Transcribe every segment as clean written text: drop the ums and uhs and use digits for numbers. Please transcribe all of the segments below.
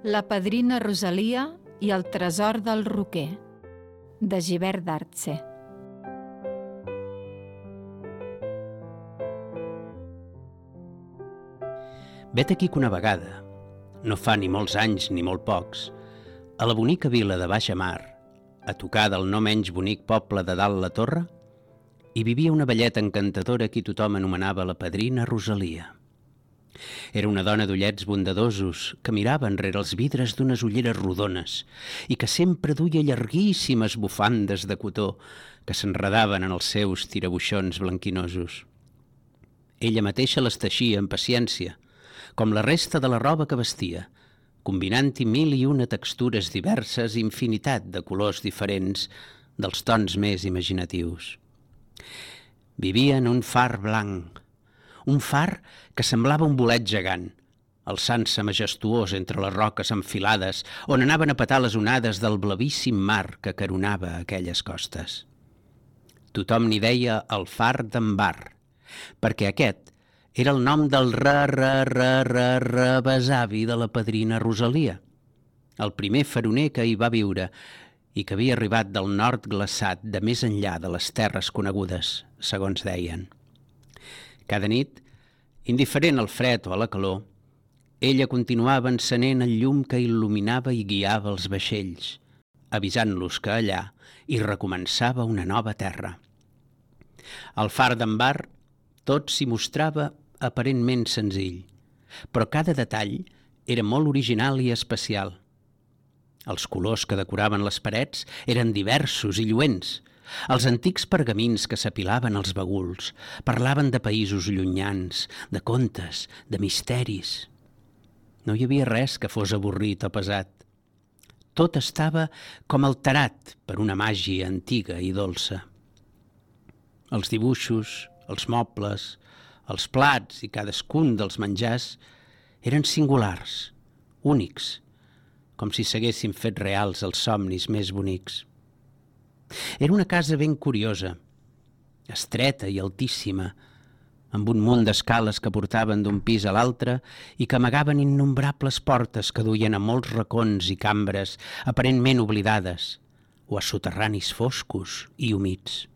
La padrina Rosalia i el tresor del roquer, de Gibert d'Arze. Vet aquí que una vegada, no fa ni molts anys ni molt pocs, a la bonica vila de Baixa Mar, a tocar del no menys bonic poble de Dalt la Torre, hi vivia una velleta encantadora qui tothom anomenava la padrina Rosalia. Era una dona d'ullets bondadosos que mirava enrere els vidres d'unes ulleres rodones i que sempre duia llarguíssimes bufandes de cotó que s'enredaven en els seus tirabuixons blanquinosos. Ella mateixa les teixia amb paciència, com la resta de la roba que vestia, combinant-hi mil i una textures diverses i infinitat de colors diferents dels tons més imaginatius. Vivia en un far blanc, un far que semblava un bolet gegant, alçant-se majestuós entre les roques enfilades on anaven a petar les onades del blavíssim mar que caronava aquelles costes. Tothom n'hi deia el far d'en Bar, perquè aquest era el nom del besavi de la padrina Rosalia, el primer faroner que hi va viure i que havia arribat del nord glaçat de més enllà de les terres conegudes, segons deien. Cada nit, indiferent al fred o a la calor, ella continuava encenent el llum que il·luminava i guiava els vaixells, avisant-los que allà hi recomençava una nova terra. Al far d'en Bar tot s'hi mostrava aparentment senzill, però cada detall era molt original i especial. Els colors que decoraven les parets eren diversos i lluents. Els antics pergamins que s'apilaven als baguls parlaven de països llunyans, de contes, de misteris. No hi havia res que fos avorrit o pesat. Tot estava com alterat per una màgia antiga i dolça. Els dibuixos, els mobles, els plats i cadascun dels menjars eren singulars, únics, com si s'haguessin fet reals els somnis més bonics. Era una casa ben curiosa, estreta i altíssima, amb un munt d'escales que portaven d'un pis a l'altre i que amagaven innombrables portes que duien a molts racons i cambres aparentment oblidades o a soterranis foscos i humits.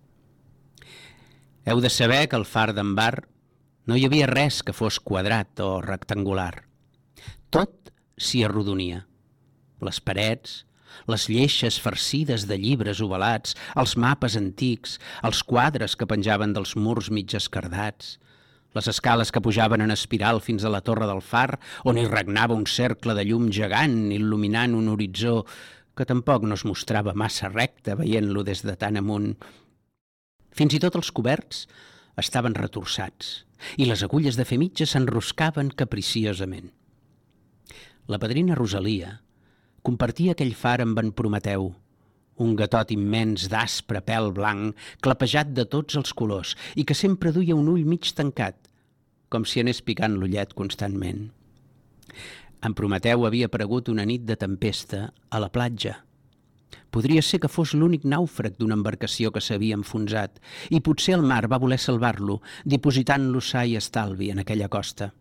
Heu de saber que al far d'en Bar no hi havia res que fos quadrat o rectangular. Tot s'hi arrodonia. Les parets, les lleixes farcides de llibres ovalats, els mapes antics, els quadres que penjaven dels murs mig esquerdats, les escales que pujaven en espiral fins a la torre del far, on hi regnava un cercle de llum gegant il·luminant un horitzó que tampoc no es mostrava massa recte veient-lo des de tan amunt. Fins i tot els coberts estaven retorçats i les agulles de fer mitja s'enroscaven capriciosament. La padrina Rosalia compartia aquell far amb en Prometeu, un gatot immens d'aspre pèl blanc, clapejat de tots els colors i que sempre duia un ull mig tancat, com si anés picant l'ullet constantment. En Prometeu havia aparegut una nit de tempesta a la platja. Podria ser que fos l'únic nàufrag d'una embarcació que s'havia enfonsat i potser el mar va voler salvar-lo, dipositant-lo sa i estalvi en aquella costa.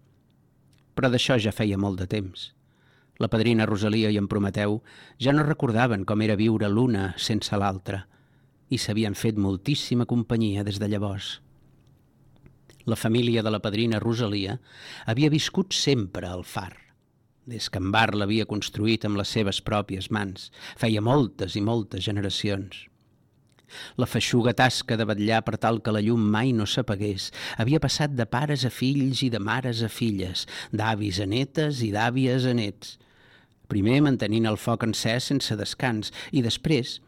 Però d'això ja feia molt de temps. La padrina Rosalia i en Prometeu ja no recordaven com era viure l'una sense l'altra i s'havien fet moltíssima companyia des de llavors. La família de la padrina Rosalia havia viscut sempre al far, des que en Bar l'havia construït amb les seves pròpies mans, feia moltes i moltes generacions. La feixuga tasca de vetllar per tal que la llum mai no s'apagués havia passat de pares a fills i de mares a filles, d'avis a netes i d'àvies a nets. Primer mantenint el foc encès sense descans i després,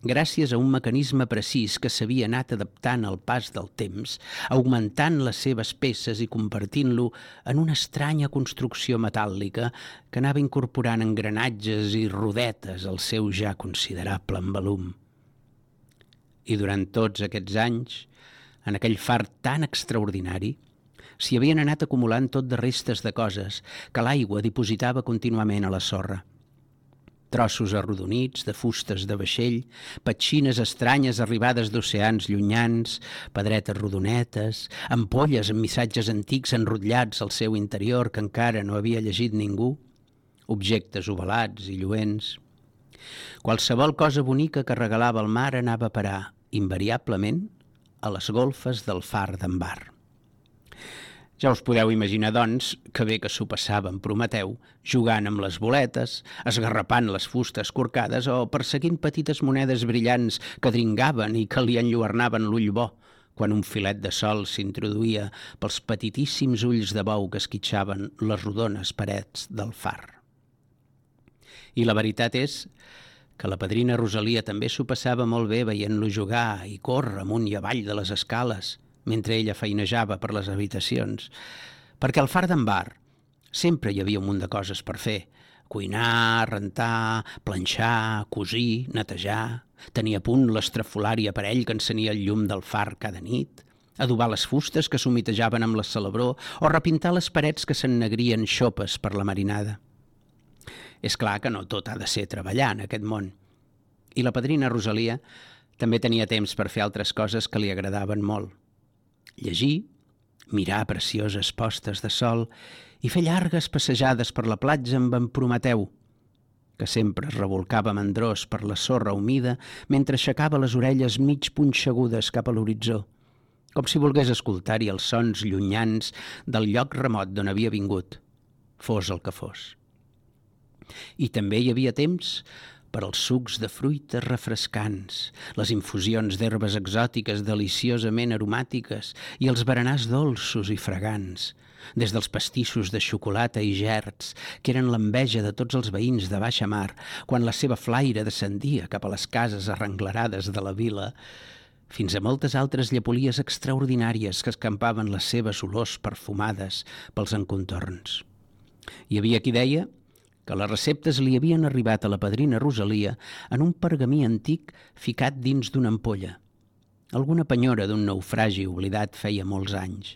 gràcies a un mecanisme precís que s'havia anat adaptant al pas del temps, augmentant les seves peces i convertint-lo en una estranya construcció metàl·lica que anava incorporant engranatges i rodetes al seu ja considerable envolum. I durant tots aquests anys, en aquell far tan extraordinari, s'hi havien anat acumulant tot de restes de coses que l'aigua dipositava contínuament a la sorra. Trossos arrodonits de fustes de vaixell, petxines estranyes arribades d'oceans llunyans, pedretes rodonetes, ampolles amb missatges antics enrotllats al seu interior que encara no havia llegit ningú, objectes ovalats i lluents. Qualsevol cosa bonica que regalava el mar anava a parar, invariablement, a les golfes del far d'en Bar. Ja us podeu imaginar, doncs, que bé que s'ho passava en Prometeu, jugant amb les boletes, esgarrapant les fustes corcades o perseguint petites monedes brillants que dringaven i que li enlluernaven l'ull bo, quan un filet de sol s'introduïa pels petitíssims ulls de bou que esquitxaven les rodones parets del far. I la veritat és que la padrina Rosalia també s'ho passava molt bé veient-lo jugar i córrer amunt i avall de les escales, mentre ella feinejava per les habitacions, perquè al far d'en Bar sempre hi havia un munt de coses per fer: cuinar, rentar, planxar, cosir, netejar, tenir a punt l'estrafolari aparell que encenia el llum del far cada nit, adobar les fustes que s'humitejaven amb la salabró o repintar les parets que s'ennegrien xopes per la marinada. És clar que no tot ha de ser treballar en aquest món. I la padrina Rosalia també tenia temps per fer altres coses que li agradaven molt: llegir, mirar precioses postes de sol i fer llargues passejades per la platja amb en Prometeu, que sempre es revolcava mandrós per la sorra humida mentre aixecava les orelles mig punxegudes cap a l'horitzó, com si volgués escoltar-hi els sons llunyans del lloc remot d'on havia vingut, fos el que fos. I també hi havia temps per als sucs de fruites refrescants, les infusions d'herbes exòtiques deliciosament aromàtiques i els berenars dolços i fragants, des dels pastissos de xocolata i gerds, que eren l'enveja de tots els veïns de baixa mar quan la seva flaire descendia cap a les cases arrenglerades de la vila, fins a moltes altres llepolies extraordinàries que escampaven les seves olors perfumades pels encontorns. Hi havia qui deia que les receptes li havien arribat a la padrina Rosalia en un pergamí antic ficat dins d'una ampolla, alguna penyora d'un naufragi oblidat feia molts anys.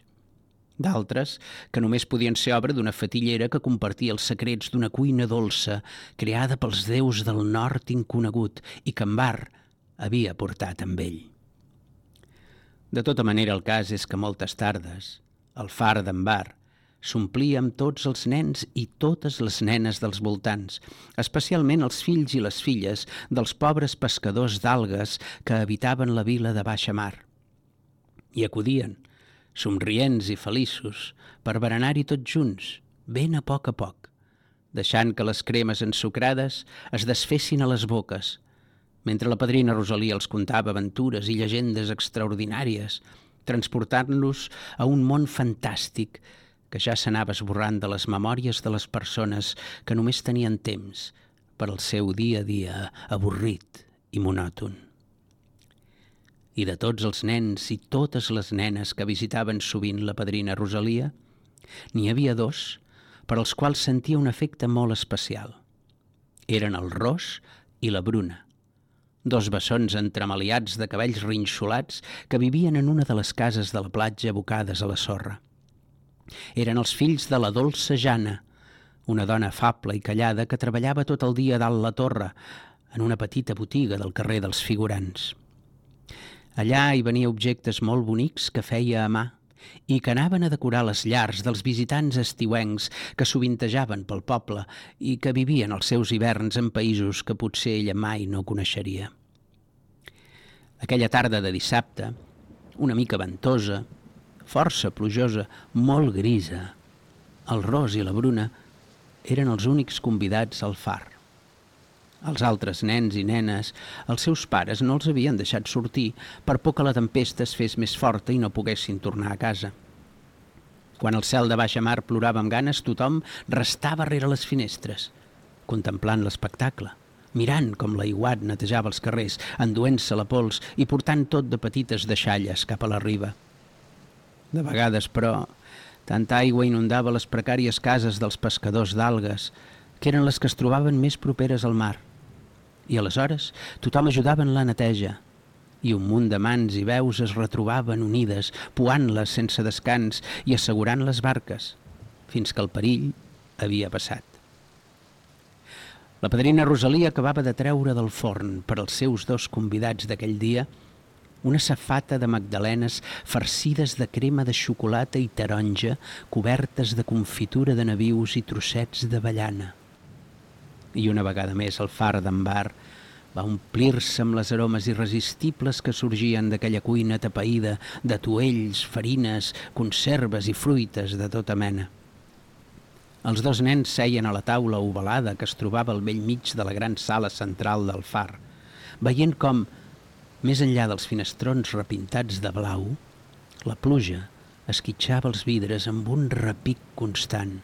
D'altres, que només podien ser obra d'una fatillera que compartia els secrets d'una cuina dolça creada pels déus del nord inconegut i que en Bar havia portat amb ell. De tota manera, el cas és que moltes tardes el far d'en Bar s'omplia amb tots els nens i totes les nenes dels voltants, especialment els fills i les filles dels pobres pescadors d'algues que habitaven la vila de baixa mar. I acudien, somrients i feliços, per berenar-hi tots junts, ben a poc, deixant que les cremes ensucrades es desfessin a les boques, mentre la padrina Rosalia els contava aventures i llegendes extraordinàries, transportant-los a un món fantàstic que ja s'anava esborrant de les memòries de les persones que només tenien temps per al seu dia a dia avorrit i monòton. I de tots els nens i totes les nenes que visitaven sovint la padrina Rosalia, n'hi havia dos per als quals sentia un afecte molt especial. Eren el Ros i la Bruna, dos bessons entremaliats de cabells rinxolats que vivien en una de les cases de la platja abocades a la sorra. Eren els fills de la dolça Jana, una dona afable i callada que treballava tot el dia dalt la torre, en una petita botiga del carrer dels Figurants. Allà hi venia objectes molt bonics que feia a mà i que anaven a decorar les llars dels visitants estiuencs que sovintejaven pel poble i que vivien els seus hiverns en països que potser ella mai no coneixeria. Aquella tarda de dissabte, una mica ventosa, força plujosa, molt grisa, el Ros i la Bruna eren els únics convidats al far. Els altres nens i nenes, els seus pares no els havien deixat sortir per por que la tempesta es fes més forta i no poguessin tornar a casa. Quan el cel de baixa mar plorava amb ganes, tothom restava rere les finestres, contemplant l'espectacle, mirant com l'aiguat netejava els carrers, enduent-se la pols i portant tot de petites deixalles cap a la riba. De vegades, però, tanta aigua inundava les precàries cases dels pescadors d'algues, que eren les que es trobaven més properes al mar. I aleshores tothom ajudava en la neteja, i un munt de mans i veus es retrobaven unides, puant-les sense descans i assegurant les barques, fins que el perill havia passat. La padrina Rosalia acabava de treure del forn per als seus dos convidats d'aquell dia una safata de magdalenes farcides de crema de xocolata i taronja cobertes de confitura de nabius i trossets d'avellana. I una vegada més el far d'en Bar va omplir-se amb les aromes irresistibles que sorgien d'aquella cuina atapeïda d'atuells, farines, conserves i fruites de tota mena. Els dos nens seien a la taula ovalada que es trobava al bell mig de la gran sala central del far, veient com, més enllà dels finestrons repintats de blau, la pluja esquitxava els vidres amb un repic constant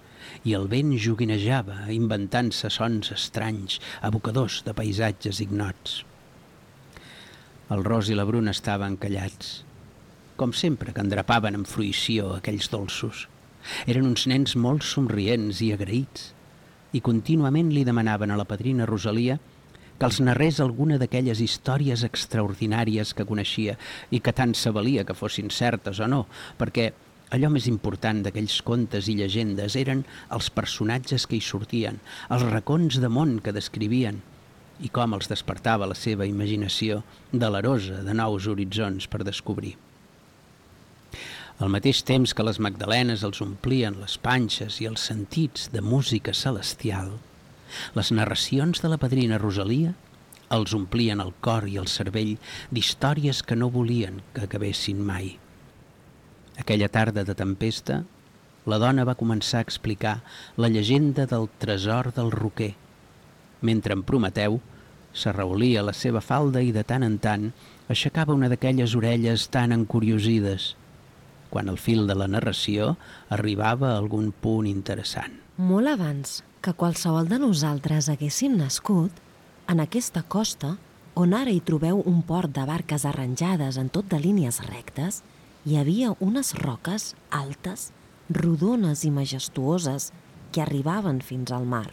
i el vent joguinejava, inventant-se sons estranys, abocadors de paisatges ignots. El Ros i la Bruna estaven callats, com sempre que endrapaven amb fruïció aquells dolços. Eren uns nens molt somrients i agraïts, i contínuament li demanaven a la padrina Rosalia que els narrés alguna d'aquelles històries extraordinàries que coneixia i que tant se valia que fossin certes o no, perquè allò més important d'aquells contes i llegendes eren els personatges que hi sortien, els racons de món que descrivien i com els despertava la seva imaginació delerosa de nous horitzons per descobrir. Al mateix temps que les magdalenes els omplien les panxes i els sentits de música celestial, les narracions de la padrina Rosalia els omplien el cor i el cervell d'històries que no volien que acabessin mai. Aquella tarda de tempesta, la dona va començar a explicar la llegenda del tresor del roquer, mentre en Prometeu s'arraulia la seva falda i de tant en tant aixecava una d'aquelles orelles tan encuriosides, quan el fil de la narració arribava a algun punt interessant. Molt abans que qualsevol de nosaltres haguéssim nascut, en aquesta costa, on ara hi trobeu un port de barques arranjades en tot de línies rectes, hi havia unes roques altes, rodones i majestuoses que arribaven fins al mar.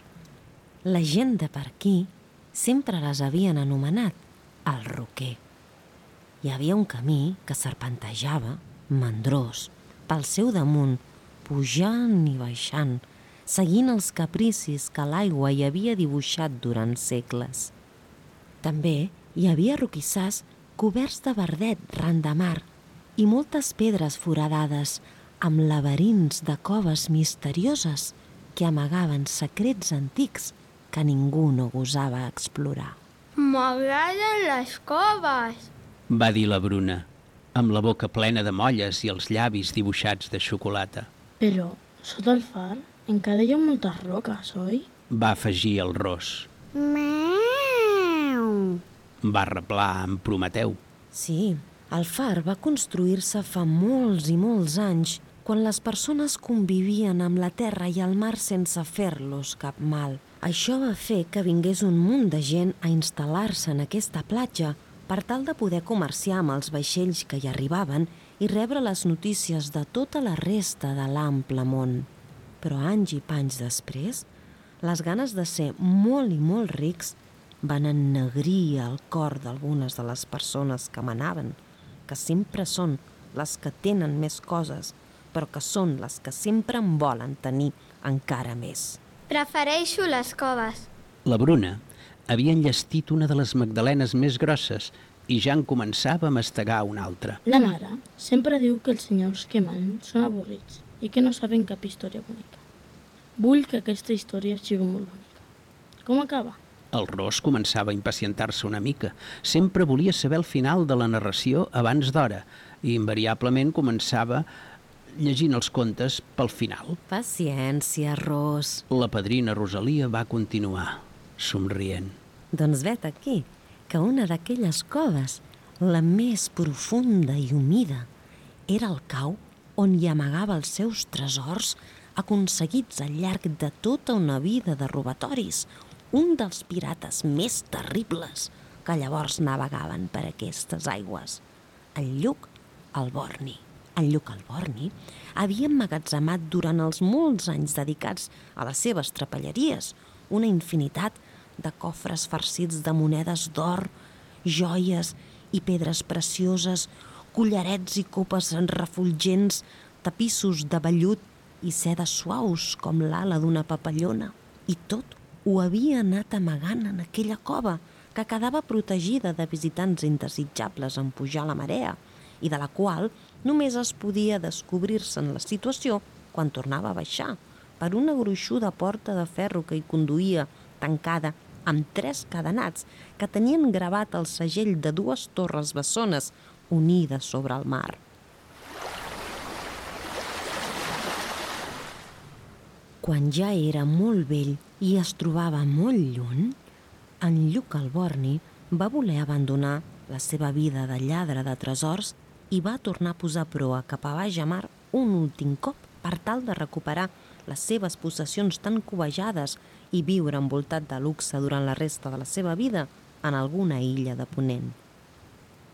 La gent de per aquí sempre les havien anomenat el roquer. Hi havia un camí que serpentejava, mandrós, pel seu damunt, pujant i baixant, seguint els capricis que l'aigua hi havia dibuixat durant segles. També hi havia roquissars coberts de verdet ran de mar i moltes pedres foradades amb laberints de coves misterioses que amagaven secrets antics que ningú no gosava explorar. M'agraden les coves, va dir la Bruna, amb la boca plena de molles i els llavis dibuixats de xocolata. Però, sota el far, encara hi ha moltes roques, oi? Va afegir el Ros. Meu! Va reblar en Prometeu. Sí, el far va construir-se fa molts i molts anys, quan les persones convivien amb la terra i el mar sense fer-los cap mal. Això va fer que vingués un munt de gent a instal·lar-se en aquesta platja per tal de poder comerciar amb els vaixells que hi arribaven i rebre les notícies de tota la resta de l'ample món. Però anys i panys després, les ganes de ser molt i molt rics van ennegrir el cor d'algunes de les persones que manaven, que sempre són les que tenen més coses, però que són les que sempre en volen tenir encara més. Prefereixo les coves. La Bruna havia enllestit una de les magdalenes més grosses i ja en començava a mastegar una altra. La mare sempre diu que els senyors que manen són avorrits i que no saben cap història bonica. Vull que aquesta història sigui molt bonica. Com acaba? El Ros començava a impacientar-se una mica. Sempre volia saber el final de la narració abans d'hora i invariablement començava llegint els contes pel final. Paciència, Ros. La padrina Rosalia va continuar, somrient. Doncs vet aquí, que una d'aquelles coves, la més profunda i humida, era el cau on hi amagava els seus tresors aconseguits al llarg de tota una vida de robatoris, un dels pirates més terribles que llavors navegaven per aquestes aigües, en Lluc Alborni. En Lluc Alborni havia emmagatzemat durant els molts anys dedicats a les seves trapelleries una infinitat de cofres farcits de monedes d'or, joies i pedres precioses, collarets i copes refulgents, tapissos de vellut i sedes suaus com l'ala d'una papallona. I tot ho havia anat amagant en aquella cova que quedava protegida de visitants indesitjables en pujar la marea i de la qual només es podia descobrir-se en la situació quan tornava a baixar per una gruixuda porta de ferro que hi conduïa tancada amb 3 cadenats que tenien gravat el segell de 2 torres bessones unides sobre el mar. Quan ja era molt vell i es trobava molt lluny, en Lluc el Borni va voler abandonar la seva vida de lladre de tresors i va tornar a posar proa cap a baix a mar un últim cop per tal de recuperar les seves possessions tan cobejades i viure envoltat de luxe durant la resta de la seva vida en alguna illa de Ponent.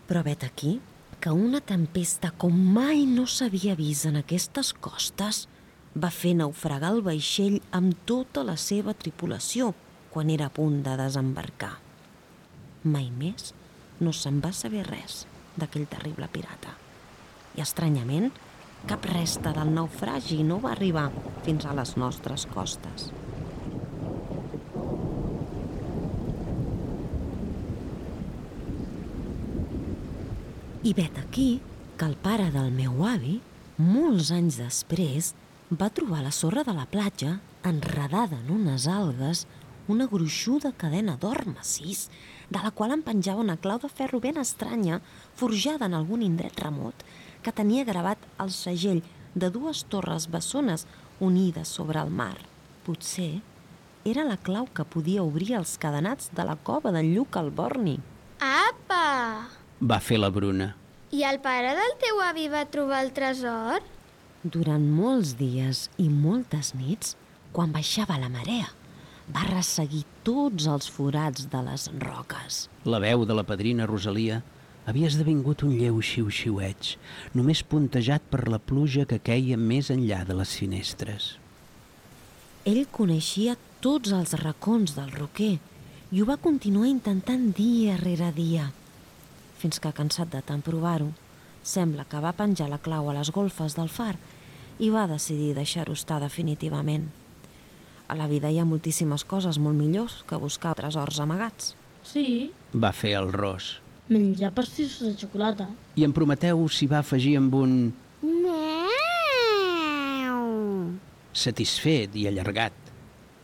Però vet aquí que una tempesta com mai no s'havia vist en aquestes costes va fer naufragar el vaixell amb tota la seva tripulació quan era a punt de desembarcar. Mai més no se'n va saber res d'aquell terrible pirata. I, estranyament, cap resta del naufragi no va arribar fins a les nostres costes. I vet aquí que el pare del meu avi, molts anys després, va trobar a la sorra de la platja, enredada en unes algues, una gruixuda cadena d'or massís, de la qual en penjava una clau de ferro ben estranya, forjada en algun indret remot, que tenia gravat el segell de 2 torres bessones unides sobre el mar. Potser era la clau que podia obrir els cadenats de la cova d'en Lluc el Borni. Apa! Va fer la Bruna. I el pare del teu avi va trobar el tresor? Durant molts dies i moltes nits, quan baixava la marea, va resseguir tots els forats de les roques. La veu de la padrina Rosalia havia esdevingut un lleu xiu-xiueig, només puntejat per la pluja que queia més enllà de les finestres. Ell coneixia tots els racons del roquer i ho va continuar intentant dia rere dia, fins que, cansat de tant provar-ho, sembla que va penjar la clau a les golfes del far i va decidir deixar-ho estar definitivament. A la vida hi ha moltíssimes coses molt millors que buscar tresors amagats. Sí, Va fer el Ros. menjar pastissos de xocolata. I en Prometeu s'hi va afegir amb un satisfet i allargat,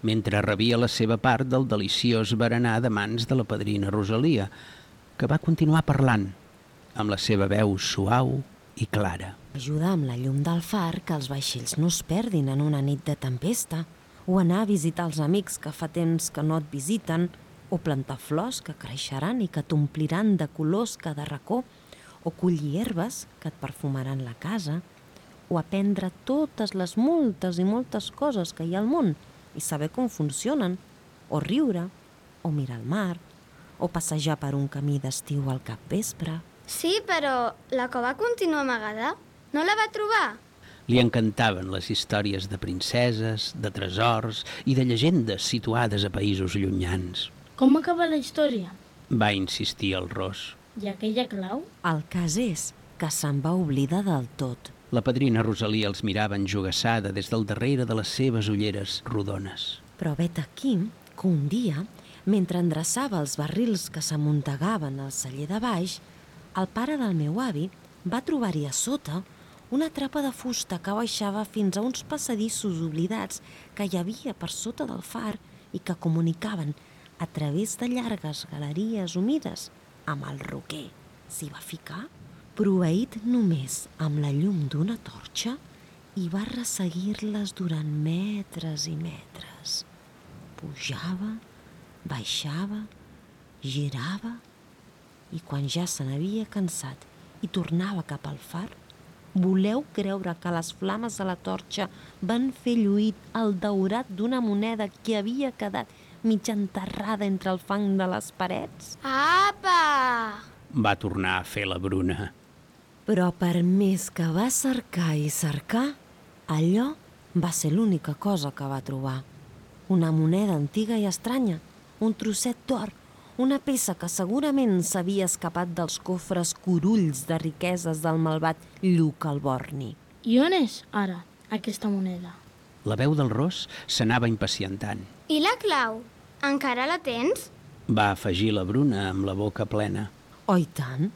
mentre rebia la seva part del deliciós berenar de mans de la padrina Rosalia, que va continuar parlant, amb la seva veu suau i clara. Ajudar amb la llum del far que els vaixells no es perdin en una nit de tempesta, o anar a visitar els amics que fa temps que no et visiten, o plantar flors que creixeran i que t'ompliran de colors cada racó, o collir herbes que et perfumaran la casa, o aprendre totes les moltes i moltes coses que hi ha al món i saber com funcionen, o riure, o mirar el mar, o passejar per un camí d'estiu al capvespre. Sí, però la cova continua amagada. No la va trobar? Li encantaven les històries de princeses, de tresors i de llegendes situades a països llunyans. Com acaba la història? Va insistir el Ros. I aquella clau? El cas és que se'n va oblidar del tot. La padrina Rosalia els mirava enjogassada des del darrere de les seves ulleres rodones. Però vet aquí que un dia, mentre endreçava els barrils que s'amuntegaven al celler de baix, el pare del meu avi va trobar-hi a sota una trapa de fusta que baixava fins a uns passadissos oblidats que hi havia per sota del far i que comunicaven a través de llargues galeries humides amb el roquer. S'hi va ficar, proveït només amb la llum d'una torxa, i va resseguir-les durant metres i metres. Pujava, baixava, girava, i quan ja se n'havia cansat i tornava cap al far, voleu creure que les flames de la torxa van fer lluir el daurat d'una moneda que havia quedat mig enterrada entre el fang de les parets? Apa! Va tornar a fer la Bruna. Però per més que va cercar i cercar, allò va ser l'única cosa que va trobar. Una moneda antiga i estranya, un trosset d'or, una peça que segurament s'havia escapat dels cofres curulls de riqueses del malvat Lluc el Borni. I on és, ara, aquesta moneda? La veu del Ros s'anava impacientant. I la clau? Encara la tens? Va afegir la Bruna amb la boca plena. Oh, i tant!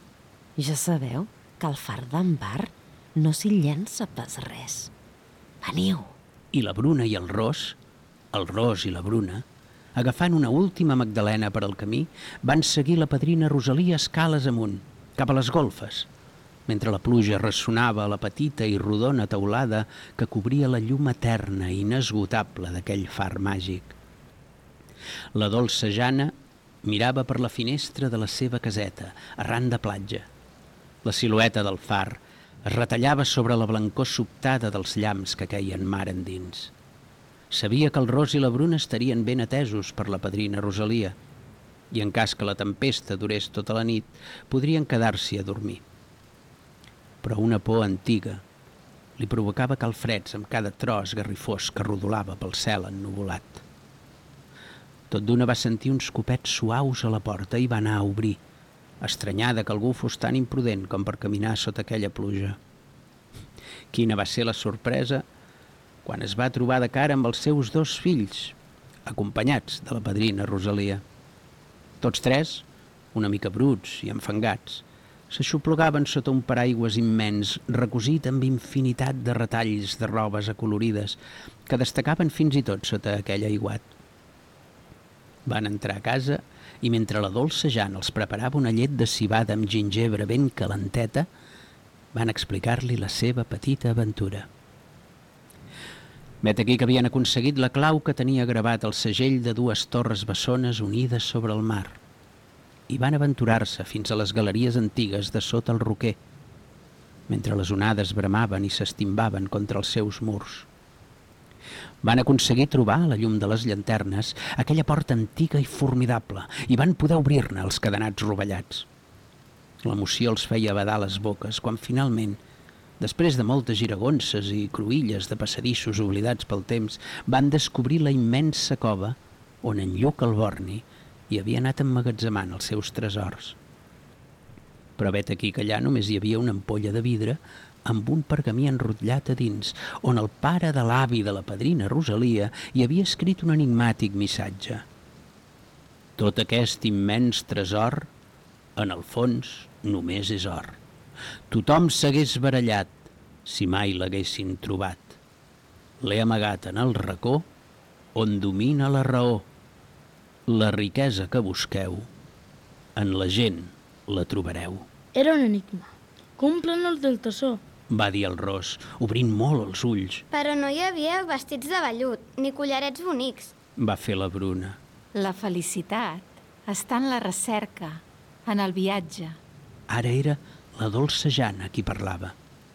Ja sabeu que al far d'en Bar no s'hi llença pas res. Veniu! I la Bruna i el Ros i la Bruna, Agafant una última magdalena per al camí, van seguir la padrina Rosalia escales amunt, cap a les golfes, mentre la pluja ressonava a la petita i rodona teulada que cobria la llum eterna i inesgotable d'aquell far màgic. La dolça Jana mirava per la finestra de la seva caseta, arran de platja. La silueta del far es retallava sobre la blancor sobtada dels llamps que queien mar endins. Sabia que el Ros i la Bruna estarien ben atesos per la padrina Rosalia i, en cas que la tempesta durés tota la nit, podrien quedar-s'hi a dormir. Però una por antiga li provocava calfreds amb cada tros garrifós que rodolava pel cel ennuvolat. Tot d'una va sentir uns copets suaus a la porta i va anar a obrir, estranyada que algú fos tan imprudent com per caminar sota aquella pluja. Quina va ser la sorpresa quan es va trobar de cara amb els seus 2 fills, acompanyats de la padrina Rosalia. Tots 3, una mica bruts i enfangats, s'aixoplugaven sota un paraigües immens, recosit amb infinitat de retalls de robes acolorides que destacaven fins i tot sota aquell aiguat. Van entrar a casa i mentre la dolça Jana els preparava una llet de civada amb gingebre ben calenteta, van explicar-li la seva petita aventura. Vet aquí que havien aconseguit la clau que tenia gravat el segell de 2 torres bessones unides sobre el mar i van aventurar-se fins a les galeries antigues de sota el roquer, mentre les onades bramaven i s'estimbaven contra els seus murs. Van aconseguir trobar, a la llum de les llanternes, aquella porta antiga i formidable i van poder obrir-ne els cadenats rovellats. L'emoció els feia badar les boques quan finalment, després de moltes giragonses i cruïlles de passadissos oblidats pel temps, van descobrir la immensa cova on en Lluc el Borni hi havia anat emmagatzemant els seus tresors. Però vet aquí que allà només hi havia una ampolla de vidre amb un pergamí enrotllat a dins, on el pare de l'avi de la padrina Rosalia hi havia escrit un enigmàtic missatge. Tot aquest immens tresor, en el fons, només és or. Tothom s'hagués barallat si mai l'haguessin trobat. L'he amagat en el racó on domina la raó. La riquesa que busqueu, en la gent la trobareu. Era un enigma. Com un plànol del tresor, va dir el Ros, obrint molt els ulls. Però no hi havia vestits de vellut, ni collarets bonics. Va fer la Bruna. La felicitat està en la recerca, en el viatge. Ara era la dolça Jana qui parlava.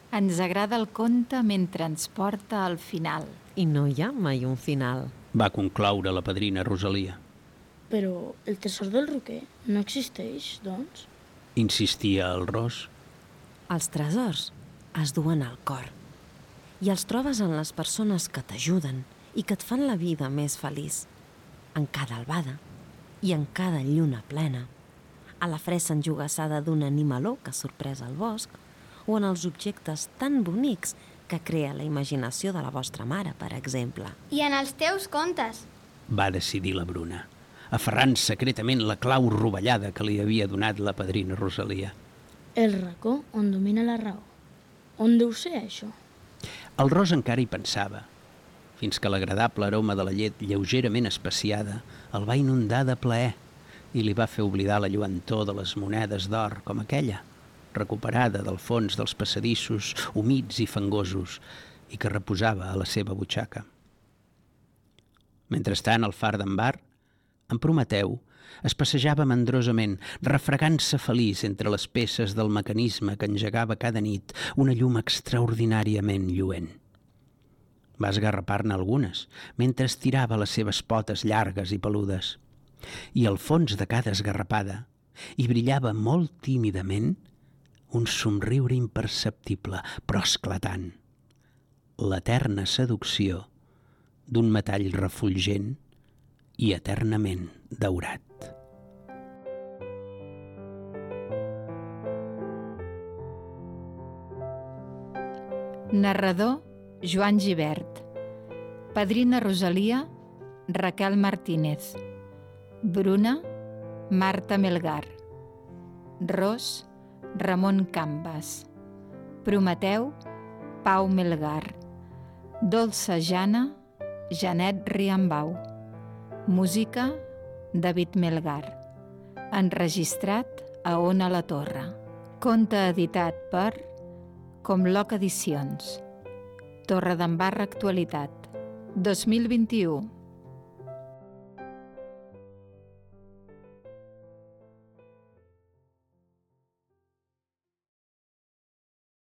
Ens agrada el conte mentre ens porta al final. I no hi ha mai un final. Va concloure la padrina Rosalia. però el tresor del roquer no existeix, doncs? Insistia el Ros. Els tresors es duen al cor i els trobes en les persones que t'ajuden i que et fan la vida més feliç, en cada albada i en cada lluna plena, a la fressa enjogassada d'un animaló que sorpresa al bosc o en els objectes tan bonics que crea la imaginació de la vostra mare, per exemple. I en els teus contes. Va decidir la Bruna, aferrant secretament la clau rovellada que li havia donat la padrina Rosalia. El racó on domina la raó. On deu ser això? El Ros encara hi pensava, fins que l'agradable aroma de la llet lleugerament especiada el va inundar de plaer i li va fer oblidar la lluentor de les monedes d'or com aquella, recuperada del fons dels passadissos humits i fangosos i que reposava a la seva butxaca. Mentrestant, al far d'en Bar, en Prometeu es passejava mandrosament, refregant-se feliç entre les peces del mecanisme que engegava cada nit una llum extraordinàriament lluent. Va esgarrapar-ne algunes, mentre estirava les seves potes llargues i peludes. I al fons de cada esgarrapada hi brillava molt tímidament un somriure imperceptible, però esclatant. L'eterna seducció d'un metall refulgent i eternament daurat. Narrador Joan Gibert. Padrina Rosalia Raquel Martínez. Bruna Marta Melgar. Ros Ramon Cambas. Prometeu Pau Melgar. Dolça Jana Janet Riambau. Música, David Melgar. Enregistrat a Ona la Torre. Conte editat per Comloc Edicions. Torredembarra Actualitat. 2021.